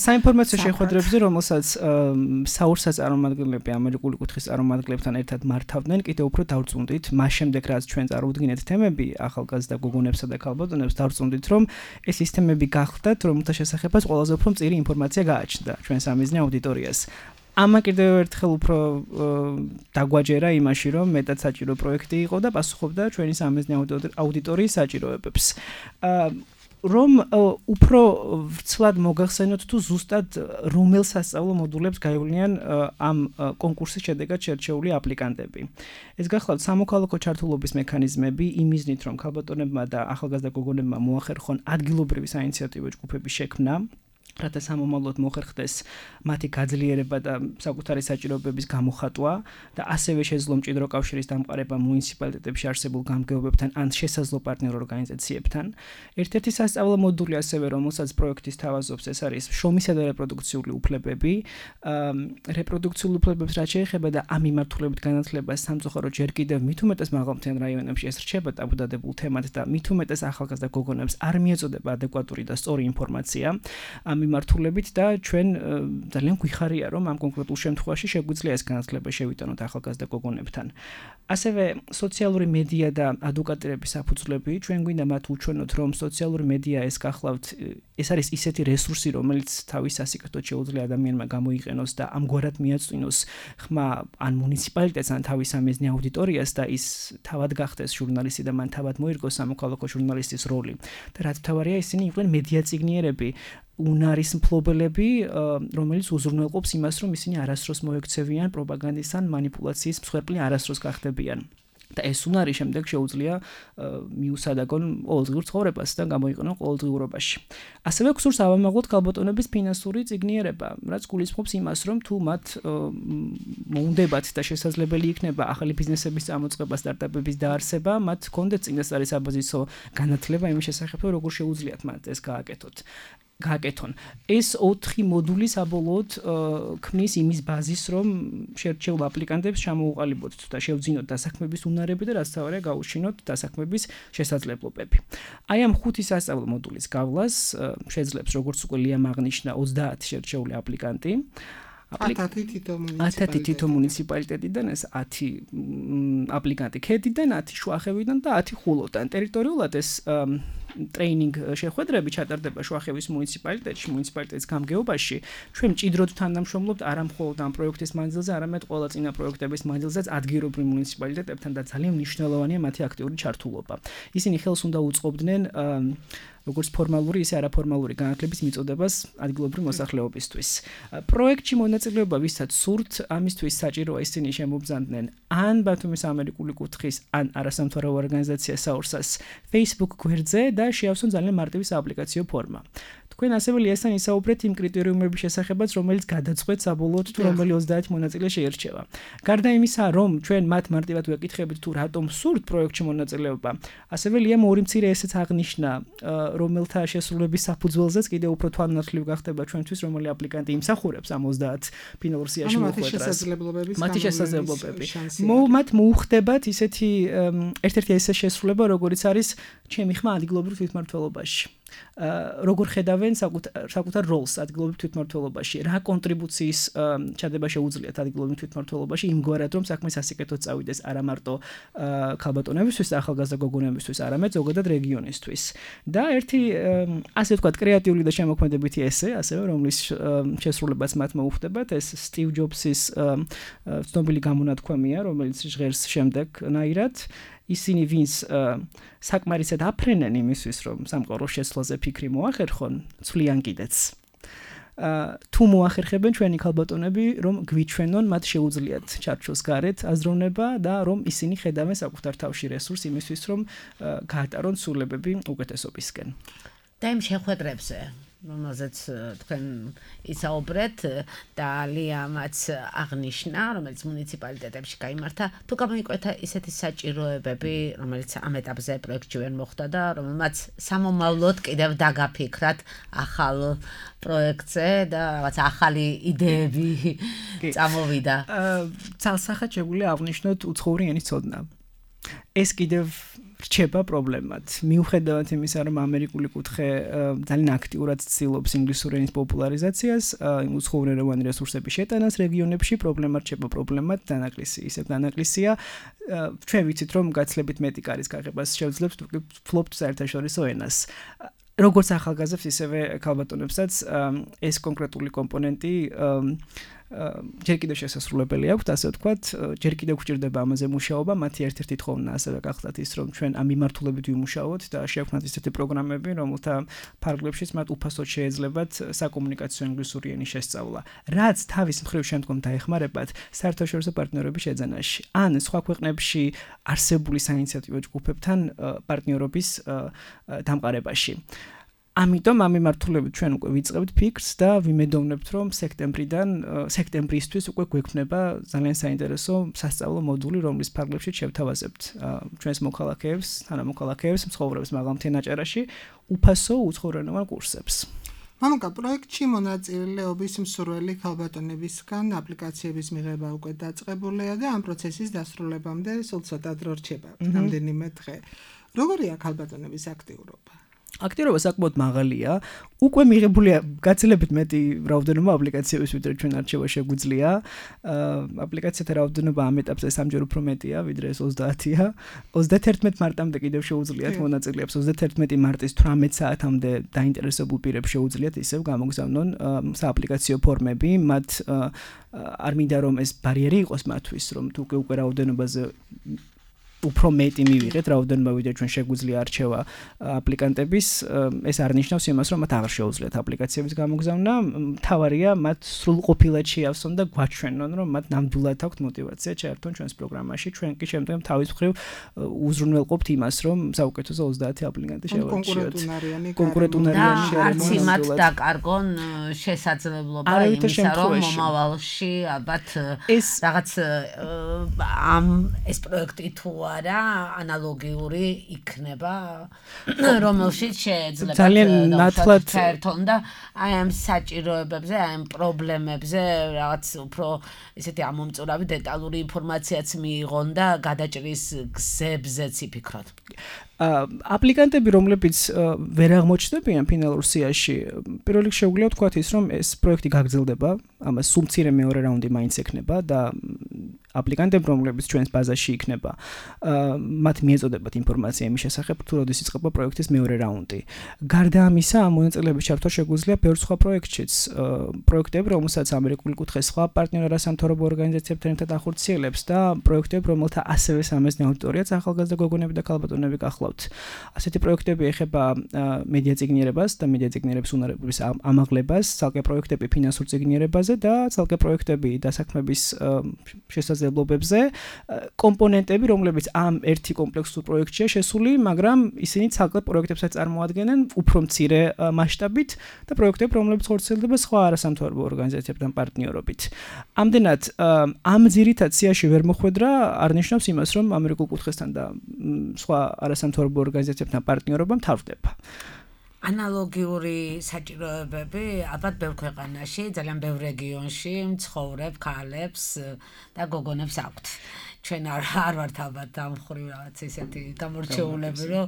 Speaker 4: საინფორმაციო შეხვედრებზე, რომელსაც საურსა წარმომადგენლები ამერიკული კუთხის წარმომადგენლებთან ერთად მართავდნენ, კიდევ უფრო დავწუნდით, მას შემდეგ რაც ჩვენ წარუდგინეთ თემები ახალგაზრდა გოგონებსა და ქალბატონებს, დავწუნდით, რომ ეს ის თემები გახდათ, რომელთა შესახებაც ყველაზე უფრო მწირი ინფორმაცია გააჩნდა ჩვენ სამიზნე აუდიტორიას. ამა კიდევ ერთხელ უფრო დაგვაჯერა იმაში, რომ მეტად საჭირო პროექტი იყო და პასუხობდა ჩვენი სამიზნე აუდიტორიის საჭიროებებს. რომ უფრო ვცვლად მოგახსენოთ თუ ზუსტად რომელ სასწავლო მოდულებს გაივლინიან ამ კონკურსის შედეგად შერჩეული აპლიკანტები. ეს გახლავთ სამოქალაქო ჩართულობის მექანიზმები, იმ მიზნით, რომ ქალბატონებმა და ახალგაზრდა გოგონებმა მოახერხონ ადგილობრივი საინიციატივო ჯგუფების შექმნა, რათა სამომავლოდ მოხერხდეს მათი გაძლიერება და საკუთარი საჭიროებების გამოხატვა და ასევე შეძლო მჭიდრო კავშირის დამყარება მუნიციპალიტეტებში არსებულ გამგეობებთან ან შესაძლო პარტნიორ ორგანიზაციებთან. ერთ-ერთი სასწავლო მოდული ასევე, რომელსაც პროექტის თავაზობს, ეს არის შრომისა და რეპროდუქციული უფლებები. რეპროდუქციული უფლებებს რაც შეეხება და ამ მიმართულებით განათლებას სამწუხაროდ ჯერ კიდევ მით უმეტეს მაღალმთიან რაიონებში ეს რჩება ტაბუდადებულ თემად და მით უმეტეს ახალგაზრდა გოგონებს არ მიეწოდება ადეკვატური და სწორი ინფორმაცია. მიმართულებით და ჩვენ ძალიან გვიხარია, რომ ამ კონკრეტულ შემთხვევაში შეგვიძლია ეს განათლება შევიტანოთ ახალგაზრდა გოგონებთან. ასევე სოციალური მედია და ადვოკატირების საფუძვლები, ჩვენ გვინდა მათ უჩვენოთ, რომ სოციალური მედია ეს გახლავთ, ეს არის ისეთი რესურსი, რომელიც თავის სასიკეთოდ შეუძლია ადამიანმა გამოიყენოს და ამგვარად მიაწვინოს ხმა ან მუნიციპალიტეტს ან თავის სამიზნე აუდიტორიას და ის თავად გახდეს ჟურნალისტი და მან თავად მოირგოს სამოქალაქო ჟურნალისტის როლი. და რაც მთავარია, ისინი იყვნენ მედია წიგნიერები, უნარის მფლობელები, რომელიც უზრუნველყოფს იმას, რომ ისინი არასდროს მოექცევიან პროპაგანდის ან მანიპულაციის მსხვერპლი არასდროს გახდებიან. და ეს უნარი შემდეგ შეუძლია მიუსადაგონ ყოველდღიურ ცხოვრებას და გამოიყენონ ყოველდღიურობაში. ასევე გსურს ავამაღლოთ ქალბატონების ფინანსური წიგნიერება, რაც გულისხმობს იმას, რომ თუ მათ მოუნდებათ და შესაძლებელი იქნება ახალი ბიზნესების წამოწყება, სტარტაპების დაარსება, მათ ჰქონდეთ წინასწარი საბაზისო განათლება იმის შესახებ, როგორ შეუძლიათ მათ ეს გააკეთონ. ეს 4 მოდული საბოლოოდ ქმნის იმის ბაზისს, რომ შერჩეულ აპლიკანტებს ჩამოუყალიბოთ და შევძინოთ დასაქმების უნარები და რაც თავარია გაუჩინოთ დასაქმების შესაძლებლობები. აი ამ 5 სასწავლო მოდულის გავლას შეძლებს, როგორც უკვე ლიამ აღნიშნა, 30 შერჩეული აპლიკანტი. 10 თითო მუნიციპალიტეტიდან, ეს 10 აპლიკანტი ქედიდან, 10 შუახევიდან და 10 ხულოდან. ტერიტორიულად ეს ტრეინინგ შეხვედრები ჩატარდება შუახევის მუნიციპალიტეტში, მუნიციპალიტეტის გამგეობაში. ჩვენ მჭიდროდ თანამშრომლობთ არა მხოლოდ ამ პროექტის მანძილზე, არამედ ყველა წინა პროექტების მანძილზეც ადგილობრივ მუნიციპალიტეტებთან და ძალიან მნიშვნელოვანია მათი აქტიური ჩართულობა. ისინი ხელს უნდა უწყობდნენ როგორც ფორმალური, ისე არაფორმალური განათლების მიწოდებას ადგილობრივ მოსახლეობისთვის. პროექტში მონაწილეობა ვისაც სურთ, ამისთვის საჭიროა ისინი შემობრძანდნენ ან ბათუმის ამერიკული კუთხის, ან არასამთავრობო ორგანიზაცია საურსას Facebook გვერდზე და შეავსონ ძალიან მარტივი სააპლიკაციო ფორმა. თქვენ ასევე ლიასთან ისაუბრეთ იმ კრიტერიუმების შესახებაც, რომელიც გადაწყვეტს საბოლოოდ თუ რომელი 30 მონაწილე შეირჩევა. გარდა იმისა, რომ ჩვენ მათ მარტივად ვეკითხებით თუ რატომ სურთ პროექტში მონაწილეობა, ასევე ლიამ ორი მცირე ესეც აღნიშნა, რომელთა შესრულების საფუძველზეც კიდევ უფრო თვალნათლივ გახდება ჩვენთვის, რომელი აპლიკანტი იმსახურებს ამ 30 ფინალურ სიაში მოხვედრას. მათი შესაძლებლობები. მათ მოუხდებათ ისეთი ერთ-ერთი ესე შესრულება, როგორიც არის ჩემი ხმა ადგილობრივ თვითმმართველობაში. როგორ ხედავენ საკუთარ როლს ადგილობრივ თვითმმართველობაში, რა კონტრიბუციის ჩადება შეუძლიათ ადგილობრივ თვითმმართველობაში, იმგვარად რომ საქმე სასიკეთოდ წავიდეს არა მარტო ქალბატონებისთვის და ახალგაზრდა გოგონებისთვის, არამედ ზოგადად რეგიონისთვის. და ერთი ასე ვთქვათ კრეატიული და შემოქმედებითი ესე, ასევე რომლის შესრულებაც მათ მოუხდებათ, ეს სტივ ჯობსის ცნობილი გამონათქვამია, რომელიც ჟღერს შემდეგნაირად. ისინი ვინც საკმარისად აფრენენ იმისთვის, რომ სამყაროს შეცვლაზე ფიქრი მოახერხონ, ცვლიან კიდეც. თუ მოახერხებენ ჩვენი ქალბატონები, რომ გვიჩვენონ, მათ შეუძლიათ ჩარჩოს გარეთ აზროვნება და რომ ისინი ხედავენ საკუთარ თავში რესურს იმისთვის, რომ გაატარონ სულებები უკეთესობისკენ.
Speaker 2: და იმ შეხვედრებზე რომელზეც თქვენ ისაუბრეთ და ლიამაც აღნიშნა, რომელიც მუნიციპალიტეტებში გაიმართა, თუ გამოიკვეთა ისეთი საჭიროებები, რომელიც ამ ეტაპზე პროექტში ვერ მოხდა და რომელმაც სამომავლოდ კიდევ დაგაფიქრათ ახალ პროექტზე და რაღაც ახალი იდეები წამოვიდა.
Speaker 4: ცალსახად შეგვიძლია აღნიშნოთ უცხოური ენის ცოდნა. ეს კიდევ რჩება პრობლემად. მიუხედავად იმისა, რომ ამერიკული კუთხე ძალიან აქტიურად ცდილობს ინგლისური ენის პოპულარიზაციას, უცხოურენოვანი რესურსების შეტანას რეგიონებში, პრობლემა რჩება პრობლემად, დანაკლისი ისევ დანაკლისია. ჩვენ ვიცით, რომ გაცლებით მეტი კარის გაღებას შეუძლებს ფლოპთ საერთაშორისო ენას. როგორც ახალგაზრდებს, ისევე ქალბატონებსაც ეს კონკრეტული კომპონენტი ჯერ კიდევ შესაძლებელი აქვს, ასე ვთქვათ, ჯერ კიდევ გვჭირდება ამაზე მუშაობა, მათი ერთ-ერთი თხოვნა ასევე გახლდათ ის, რომ ჩვენ ამ მიმართულებით ვიმუშაოთ და შევქმნათ ისეთი პროგრამები, რომელთა ფარგლებშიც მათ უფასოდ შეეძლებათ საკომუნიკაციო ინგლისური ენის შესწავლა, რაც თავის მხრივ შემდგომ დაეხმარებათ საერთაშორისო პარტნიორობის შეძენაში, ან სხვა ქვეყნებში არსებული საინიციატივო ჯგუფებთან პარტნიორობის დამყარებაში. ამიტომ ამ მიმართულებით ჩვენ უკვე ვიწყებთ ფიქრს და ვიმედოვნებთ, რომ სექტემბრისთვის უკვე გვექნება ძალიან საინტერესო სასწავლო მოდული, რომლის ფარგლებშიც შევთავაზებთ ჩვენს მოქალაქეებს, თანამოქალაქეებს, მცხოვრებს მაღალმთიან აჭარაში უფასო უცხოურენოვან კურსებს.
Speaker 3: მამუკა, პროექტში მონაწილეობის მსურველი ქალბატონებისგან აპლიკაციების მიღება უკვე დაწყებულია და ამ პროცესის დასრულებამდე სულ ცოტა დრო რჩება, რამდენიმე დღე. როგორია ქალბატონების აქტიურობა?
Speaker 4: აქტიურობა საკმაოდ მაღალია. უკვე მიღებულია გაცილებით მეტი რაოდენობა აპლიკაციების, ვიდრე ჩვენ არჩევა შეგვიძლია. აპლიკაციათა რაოდენობა ამ ეტაპზე სამჯერ უფრო მეტია, ვიდრე ეს 30-ია. 31 მარტამდე კიდევ შეუძლიათ მონაწილეებს 31 მარტის 18 საათამდე დაინტერესებულ პირებს შეუძლიათ ისევ გამოგზავნონ სააპლიკაციო ფორმები, მათ არ მინდა რომ ეს ბარიერი იყოს მათთვის, რომ თუ უკვე რაოდენობაზე უფრო მეტი მივიღეთ რაოდენობა, ვიდრე ჩვენ შეგვიძლია არჩევა აპლიკანტების, ეს არ ნიშნავს იმას, რომ მათ აღარ შეუძლიათ აპლიკაციების გამოგზავნა. მთავარია მათ სრულყოფილად შეავსონ და გვაჩვენონ, რომ მათ ნამდვილად აქვთ мотиваცია ჩაერთონ ჩვენს პროგრამაში. ჩვენ კი შემდგომ თავის მხრივ უზრუნველყოფთ იმას, რომ საუკეთესო 30 აპლიკანტი შევარჩიოთ. კონკურენტუნარიანი
Speaker 2: არც იმათ დაკარგონ შესაძლებლობა იმისა, რომ მომავალში ალბათ რაღაც ეს პროექტი თუ არა ანალოგიური იქნება, რომელშიც შეეძლება
Speaker 4: ძალიან ნათლად
Speaker 2: საერთოდ და აი ამ საჭიროებებზე, აი ამ პრობლემებზე რაღაც უფრო ესეთი ამომწურავი დეტალური ინფორმაციაც მიიღონ და გადაჭრის გზებზეც იფიქროთ.
Speaker 4: აპლიკანტები, რომლებიც ვერ აღმოჩნდებიან ფინალურ სიაში, პირველ რიგში შეგვიძლია ვთქვათ ის, რომ ეს პროექტი გაგრძელდება, ამას სულ მცირე მეორე რაუნდი მაინც ექნება და აპლიკანტები, რომლებიც ჩვენს ბაზაში იქნება, მათ მიეწოდებათ ინფორმაცია იმის შესახებ, თუ როდის იწყება პროექტის მეორე რაუნდი. გარდა ამისა, ამ მონაწილეების ჩართვა შეგვიძლია ბევრ სხვა პროექტშიც, პროექტები, რომელსაც ამერიკული კუთხე სხვა პარტნიორ არასამთავრობო ორგანიზაციებთან ერთად ახორციელებს და პროექტები, რომელთა ასევე სამეზნე აუდიტორიაც ახალგაზრდა გოგონები და ქალბატონები გახლავთ. ასეთი პროექტები ეხება მედია წიგნიერებას და მედია წიგნიერების უნარების ამაღლებას, ცალკე პროექტები ფინანსურ წიგნიერებაზე და ცალკე პროექტები დასაქმების შესაძლებლობებზე, კომპონენტები, რომლებიც ამ ერთი კომპლექსურ პროექტშია შესული, მაგრამ ისინი ცალკე პროექტებსაც წარმოადგენენ უფრო მცირე მასშტაბით და პროექტები, რომლებიც ხორციელდება სხვა არასამთავრობო ორგანიზაციებთან პარტნიორობით. ამდენად ამ ძირითად სიაში ვერ მოხვედრა არ ნიშნავს იმას, რომ ამერიკულ კუთხესთან და სხვა არასამთავრობო ორგანიზაციებთან პარტნიორობა მთავრდება.
Speaker 2: ანალოგიური საჭიროებები ალბათ ბევრ ქვეყანაში, ძალიან ბევრ რეგიონში მცხოვრებ ქალებს და გოგონებს აქვთ. ჩვენ არ ვართ ალბათ ამ ხრივ რაღაც ისეთი გამორჩეულები, რომ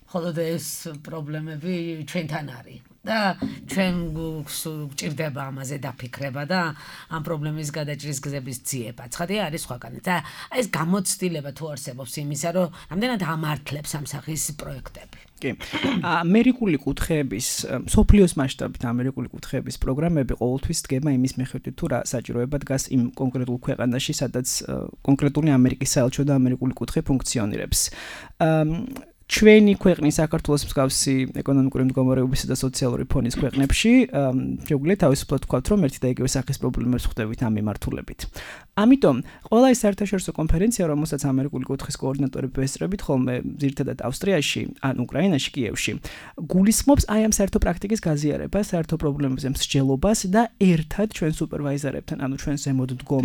Speaker 2: მხოლოდ ეს პრობლემები ჩვენთან არის. და ჩვენ გვჭირდება ამაზე დაფიქრება და ამ პრობლემის გადაჭრის გზების ძიება. ცხადია არის სხვაგან. და ეს გამოცდილება თუ არსებობს იმისა, რომ რამდენად ამართლებს ამ სახის პროექტები.
Speaker 4: კი. ამერიკული კუთხეების, სოფლიოს მასშტაბით ამერიკული კუთხეების პროგრამები ყოველთვის დგება იმის მიხედვით, თუ რა საჭიროება დგას იმ კონკრეტულ ქვეყანაში, სადაც კონკრეტული ამერიკის საელჩო და ამერიკული კუთხე ფუნქციონირებს. ჩვენი ქვეყნის საქართველოს მსგავსი ეკონომიკური მდგომარეობისა და სოციალური ფონის ქვეყნებში შეგვიძლია თავისუფლად ვთქვათ, რომ ერთი და იგივე სახის პრობლემებს ხვდებით ამ მიმართულებით. ამიტომ ყველა ეს საერთაშორისო კონფერენცია, რომელსაც ამერიკული კუთხის კოორდინატორები ესწრებით ხოლმე ძირითადად ავსტრიაში, ან უკრაინაში, კიევში, გულისხმობს აი ამ საერთო პრაქტიკის გაზიარებას, საერთო პრობლემებზე მსჯელობას და ერთად ჩვენ სუპერვაიზერებთან, ანუ ჩვენ ზემოთ მდგომ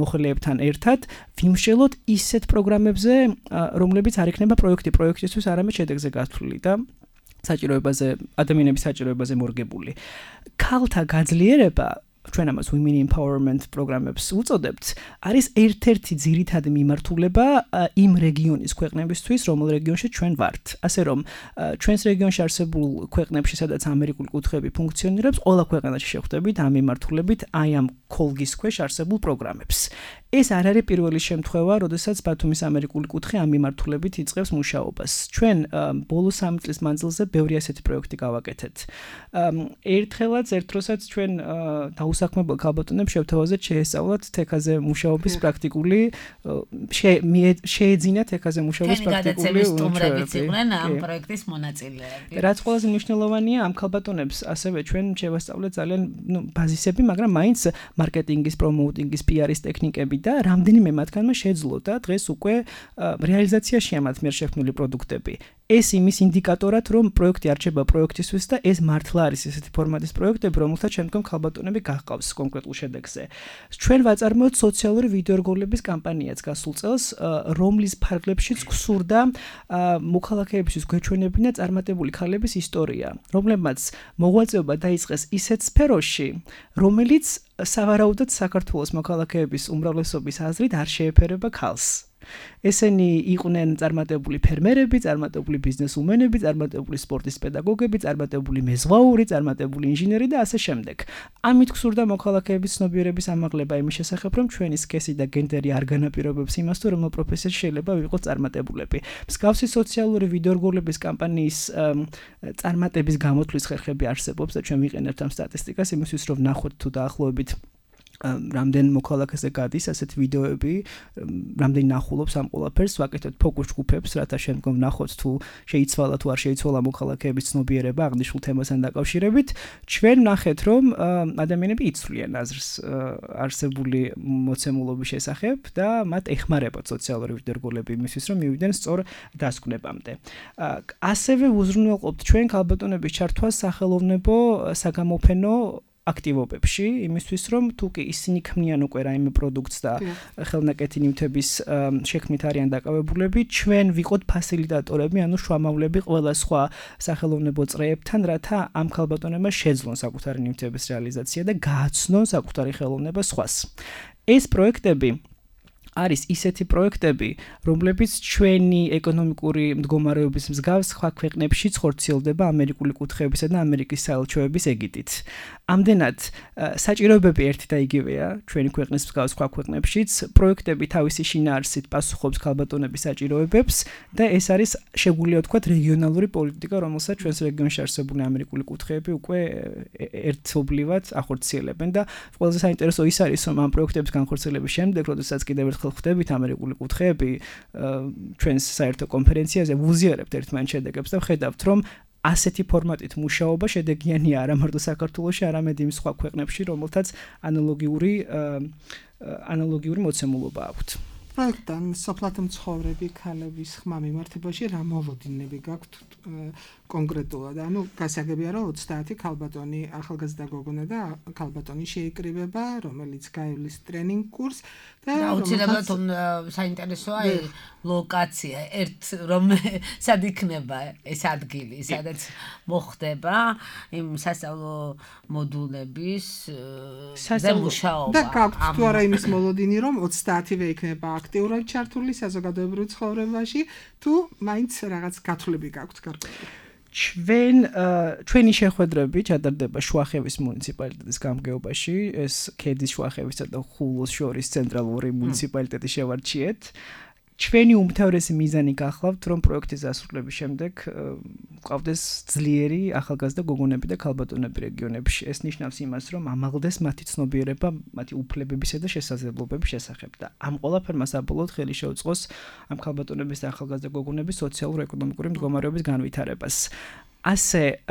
Speaker 4: მოხელეებთან ერთად ვიმსჯელოთ ისეთ პროგრამებზე, რომლებიც არ იქნება პროექტისთვის არამედ შედეგზე გათვლილი და საჭიროებაზე, ადამიანების საჭიროებაზე მორგებული. ქალთა გაძლიერება ჩვენ ამას women empowerment პროგრამებს უწოდებთ, არის ერთ-ერთი ძირითადი მიმართულება იმ რეგიონის ქვეყნებისთვის, რომელ რეგიონში ჩვენ ვართ. ასე რომ, ჩვენს რეგიონში არსებულ ქვეყნებში, სადაც ამერიკული კუთხეები ფუნქციონირებს, ყველა ქვეყანაში შევხვდებით ამ მიმართულებით, აი ამ კოლგის ქვეშ არსებულ პროგრამებს. ეს არ არის პირველი შემთხვევა, როდესაც ბათუმის ამერიკული კუთხე ამ მიმართულებით იწყებს მუშაობას. ჩვენ ბოლო 3 წლის მანძილზე ბევრი ასეთი პროექტი გავაკეთეთ. ერთხელაც ერთ დროსაც ჩვენ დაუსახმებელ ქალბატონებს შევთავაზეთ შეესწავლათ თექაზე მუშაობის პრაქტიკული შეეძინათ თექაზე მუშაობის პრაქტიკული
Speaker 2: სტუმრებიც იყვნენ ამ პროექტის მონაწილეები.
Speaker 4: რაც ყველაზე მნიშვნელოვანია, ამ ქალბატონებს ასევე ჩვენ შევასწავლეთ ძალიან ბაზისები, მაგრამ მაინც მარკეტინგის, პრომოუტინგის, PR-ის ტექნიკები და რამდენიმე მათგანმა შეძლო და დღეს უკვე რეალიზაციაშია მათ მიერ შექმნილი პროდუქტები. ეს იმის ინდიკატორად, რომ პროექტი არჩება პროექტისთვის და ეს მართლა არის ესეთი ფორმატის პროექტები, რომელთაც შემდგომ ქალბატონები გახყავს კონკრეტულ შედეგზე. ჩვენ ვაწარმოებთ სოციალური ვიდეორგოლების კამპანიაც გასულ წელს, რომლის ფარგლებშიც გსურდა მოქალაქეებისთვის გვეჩვენებინა წარმატებული ქალების ისტორია, რომლებმაც მოღვაწეობა დაიწყეს ისეთ სფეროში, რომელიც სავარაუდოდ საქართველოს მოქალაქეების უმრავლესობის აზრით არ შეეფერება ქალს. ესენი იყვნენ წარმატებული ფერმერები, წარმატებული ბიზნესუმენები, წარმატებული სპორტის პედაგოგები, წარმატებული მეზღვაური, წარმატებული ინჟინერი და ასე შემდეგ. ამით გსურდა მოქალაქეების ცნობიერების ამაღლება იმის შესახებ, რომ ჩვენი სქესი და გენდერი არ განაპირობებს იმას, თუ რომელ პროფესიაში შეიძლება ვიყოთ წარმატებულები. მსგავსი სოციალური ვიდეორგოლების კამპანიის წარმატების გამოთვლის ხერხები არსებობს და ჩვენ ვიყენებთ ამ სტატისტიკას იმისთვის, რომ ნახოთ თუ დაახლოებით რამდენ მოქალაქეზე გადის ასეთ ვიდეოები, რამდენი ნახულობს ამ ყველაფერს, ვაკეთებთ ფოკუს ჯგუფებს, რათა შემდგომ ნახოთ თუ შეიცვალა თუ არ შეიცვალა მოქალაქეების ცნობიერება აღნიშნულ თემასთან დაკავშირებით. ჩვენ ვნახეთ, რომ ადამიანები იცვლიან აზრს არსებული მოცემულობის შესახებ და მათ ეხმარებათ სოციალური ვიდეორგოლები იმისთვის, რომ მივიდნენ სწორ დასკვნებამდე. ასევე უზრუნველყოფთ ჩვენ ქალბატონების ჩართვას სახელოვნებო საგამოფენო აქტივობებში, იმისთვის რომ თუ კი ისინი ქმნიან უკვე რაიმე პროდუქტს და ხელნაკეთი ნივთების შექმნით არიან დაკავებულები, ჩვენ ვიყოთ ფასილიტატორები, ანუ შუამავლები ყველა სხვა სახელოვნებო წრეებთან, რათა ამ ქალბატონებმა შეძლონ საკუთარი ნივთების რეალიზაცია და გააცნონ საკუთარი ხელოვნება სხვას. ეს პროექტები არის ისეთი პროექტები, რომლებიც ჩვენი ეკონომიკური მდგომარეობის მსგავს სხვა ქვეყნებშიც ხორციელდება ამერიკული კუთხეებისა და ამერიკის საელჩოების ეგიდით. ამდენად საჭიროებები ერთი და იგივეა ჩვენი ქვეყნის მსგავს სხვა ქვეყნებშიც, პროექტები თავისი შინაარსით პასუხობს ქალბატონების საჭიროებებს და ეს არის შეგვიძლია ვთქვათ რეგიონალური პოლიტიკა, რომელსაც ჩვენს რეგიონში არსებული ამერიკული კუთხეები უკვე ერთობლივად ახორციელებენ და ყველაზე საინტერესო ის არის, რომ ამ პროექტების განხორციელების შემდეგ, როდესაც კიდევ ერთხელ ხვდებით ამერიკული კუთხეები ჩვენს საერთო კონფერენციაზე, ვუზიარებთ ერთმანეთს შედეგებს და ვხედავთ, რომ ასეთი ფორმატით მუშაობა შედეგიანია არა მარტო საქართველოში, არამედ იმ სხვა ქვეყნებში, რომელთაც ანალოგიური მოცემულობა აქვთ.
Speaker 3: პროექტთან სოფლათო მცხოვრები ქალების ხმა მიმართებაში რა მოლოდინები გაქვთ კონკრეტულად? ანუ გასაგებია, რომ 30 ქალბატონი, ახალგაზრდა გოგონა და ქალბატონი შეიკრიბება, რომელიც გაივლის ტრენინგ კურსს და
Speaker 2: აუცილებლად საინტერესოა ლოკაცია, სად იქნება ეს ადგილი, სადაც მოხდება იმ სასწავლო მოდულების მუშაობა.
Speaker 3: და გაქვთ თუ არა იმის მოლოდინი, რომ 30-ვე იქნება აქტიურად ჩართული საზოგადოებრივ ცხოვრებაში, თუ მაინც რაღაც გათვლები გაქვთ გარკვეული?
Speaker 4: ჩვენი შეხვედრები ჩატარდება შუახევის მუნიციპალიტეტის გამგეობაში, ეს ქედის შუახევისა და ხულოს შორის ცენტრალური მუნიციპალიტეტი შევარჩიეთ. ჩვენი უმთავრესი მიზანი გახლავთ, რომ პროექტის დასრულების შემდეგ გვყავდეს ძლიერი ახალგაზრდა გოგონები და ქალბატონები რეგიონებში. ეს ნიშნავს იმას, რომ ამაღლდეს მათი ცნობიერება, მათი უფლებებისა და შესაძლებლობების შესახებ და ამ ყველაფერმა საბოლოოდ ხელი შეუწყოს ამ ქალბატონების და ახალგაზრდა გოგონების სოციალურ-ეკონომიკური მდგომარეობის განვითარებას. ასე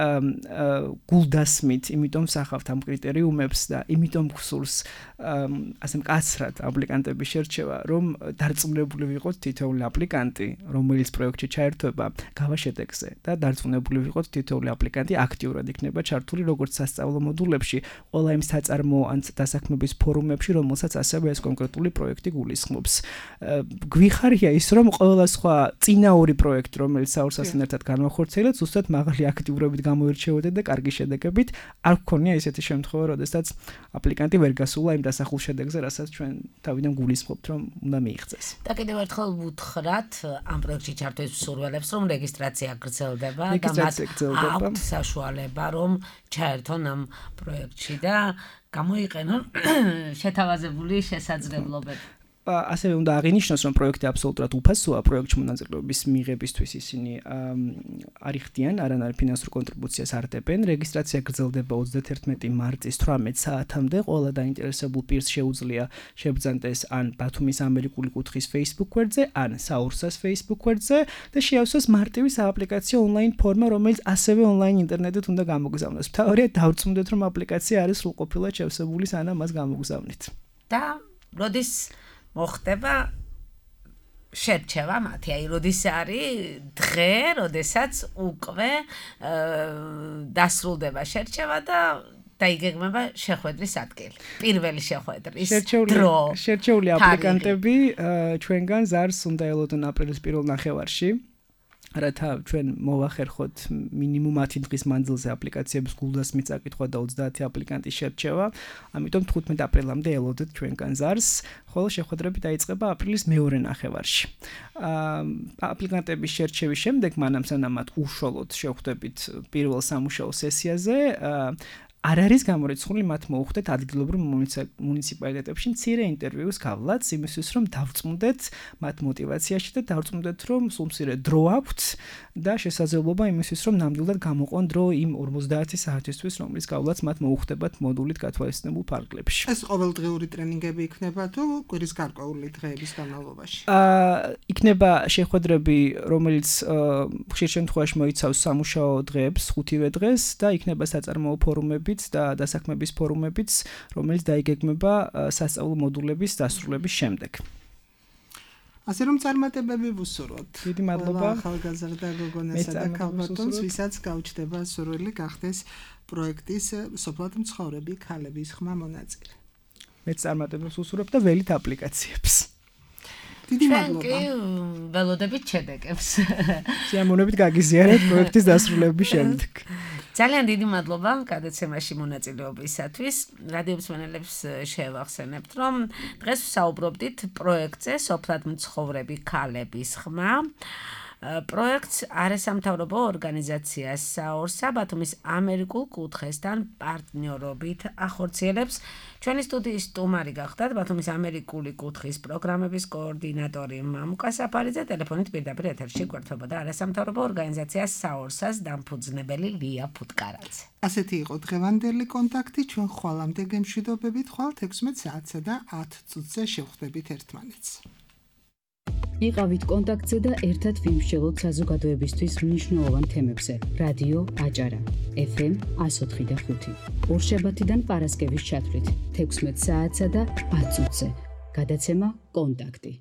Speaker 4: გულდასმით, იმიტომ ვსახავთ ამ კრიტერიუმებს და იმიტომ გსურს ასე მკაცრად აპლიკანტების შერჩევა, რომ დარწმუნებული ვიყოთ თითოეული აპლიკანტი, რომელიც პროექტში ჩაერთვება, გავა შედეგზე და დარწმუნებული ვიყოთ თითოეული აპლიკანტი აქტიურად იქნება ჩართული როგორც სასწავლო მოდულებში, ყველა იმ საწარმოო ან დასაქმების ფორუმებში, რომელსაც ასევე ეს კონკრეტული პროექტი გულისხმობს. გვიხარია ის, რომ ყველა სხვა წინაური პროექტი, რომელიც საურსასთან ერთად განვახორციელეთ, ზუსტად მაღალი აქტიურობით გამოირჩეოდა და კარგი შედეგებით არ გქონია ისეთი შემთხვევა, როდესაც აპლიკანტი ვერ გასულა იმ დასახულ შედეგზე, რასაც ჩვენ თავიდან გულისხმობთ, რომ უნდა მიიღწეს.
Speaker 2: და კიდევ ერთხელ ვუთხრათ ამ პროექტში ჩართვის მსურველებს, რომ რეგისტრაცია გრძელდება და მათ აქვთ საშუალება, რომ ჩაერთონ ამ პროექტში და გამოიყენონ შეთავაზებული შესაძლებლობები.
Speaker 4: ასევე უნდა აღინიშნოს, რომ პროექტი აბსოლუტურად უფასოა, პროექტში მონაწილეობის მიღებისთვის ისინი არ იხდიან, არანაირ ფინანსურ კონტრიბუციას არ დებენ. რეგისტრაცია გრძელდება 31 მარტის 18 საათამდე. ყველა დაინტერესებულ პირს შეუძლია შებრძანდეს ან ბათუმის ამერიკული კუთხის Facebook გვერდზე, ან საურსას Facebook გვერდზე და შეავსოს მარტივი სააპლიკაციო ონლაინ ფორმა, რომელიც ასევე ონლაინ ინტერნეტით უნდა გამოგზავნოს. მთავარია დავწმუნდეთ, რომ აპლიკაცია არის სრულყოფილად შევსებული, სანამ მას გამოგზავნით.
Speaker 2: და როდის მოხდება შერჩევა მათი, აი როდის არის დღე, როდესაც უკვე დასრულდება შერჩევა და დაიგეგმება შეხვედრის ადგილი. პირველი შეხვედრის დრო.
Speaker 4: შერჩეული აპლიკანტები ჩვენგან ზარს უნდა ელოდონ აპრილის პირველ ნახევარში. რათა ჩვენ მოვახერხოთ მინიმუმ 10 დღის მანძილზე აპლიკაციების გულდასმით წაკითხვა და 30 აპლიკანტის შერჩევა. ამიტომ 15 აპრილამდე ელოდეთ ჩვენგან ზარს, ხოლო შეხვედრები დაიწყება აპრილის მეორე ნახევარში. აპლიკანტების შერჩევის შემდეგ, მანამ სანამ მათ უშუალოდ შევხვდებით პირველ სამუშაო სესიაზე, არ არის გამორიცხული მათ მოუხდეთ ადგილობრივ მუნიციპალიტეტებში მცირე ინტერვიუს გავლაც, იმისთვის რომ დავწმუნდეთ მათ მოტივაციაში და დავწმუნდეთ რომ სულ მცირე დრო აქვთ და შესაძლებლობა იმისთვის რომ ნამდვილად გამოყვონ დრო იმ 50 საათისთვის, რომლის გავლაც მათ მოუხდებათ მოდულით გათვალისწინებულ ფარგლებში.
Speaker 3: ეს ყოველდღიური ტრენინგები იქნება თუ კვირის გარკვეული დღეების განმავლობაში?
Speaker 4: იქნება შეხვედრები, რომელიც ხშირ შემთხვევაში მოიცავს სამუშაო დღეებს, 5-ვე დღეს და იქნება საწარმოო ფორუმები და დასაქმების ფორუმებიც, რომელიც დაიგეგმება სასწავლო მოდულების დასრულების შემდეგ.
Speaker 3: ასე რომ წარმატებები ვუსურვოთ.
Speaker 4: დიდი მადლობა
Speaker 3: ახალგაზრდა გოგონასა და ქალბატონს, ვისაც გაუჩნდება სურვილი გახდეს პროექტის სოფლად მცხოვრები ქალების ხმა მონაწილე.
Speaker 4: მეც წარმატებებს ვუსურვებ და ველით აპლიკაციებს.
Speaker 3: დიდი მადლობა.
Speaker 2: კი, ველოდებით შედეგებს.
Speaker 4: სიამოვნებით გაგიზიარეთ პროექტის დასრულების შემდეგ.
Speaker 2: ძალიან დიდი მადლობა გადაცემაში მონაწილეობისათვის. რადიო მსმენელებს შევახსენებთ, რომ დღეს ვსაუბრობდით პროექტზე სოფლად მცხოვრები ქალების ხმა. პროექტს არასამთავრობო ორგანიზაცია საურსა ბათუმის ამერიკულ კუთხესთან პარტნიორობით ახორციელებს. ჩვენი სტუდიის სტუმარი გახდათ ბათუმის ამერიკული კუთხის პროგრამების კოორდინატორი მამუკა საფარიძე, ტელეფონით პირდაპირ ეთერში გვერდთვებოდა არასამთავრობო ორგანიზაცია საურსას დამფუძნებელი ლია ფუტკარაძე.
Speaker 3: ასეთი იყო დღევანდელი კონტაქტი. ჩვენ ხვალამდე გემშვიდობებით, ხვალ 16 საათსა და 10 წუთზე შევხვდებით ერთმანეთს.
Speaker 1: იყავით კონტაქტზე და ერთად ვიმსჯელოთ საზოგადოებისთვის მნიშვნელოვან თემებზე. რადიო აჭარა FM 104.5 ორშაბათიდან პარასკევის ჩათვლით 16 საათსა და 10 წუთზე. გადაცემა კონტაქტი.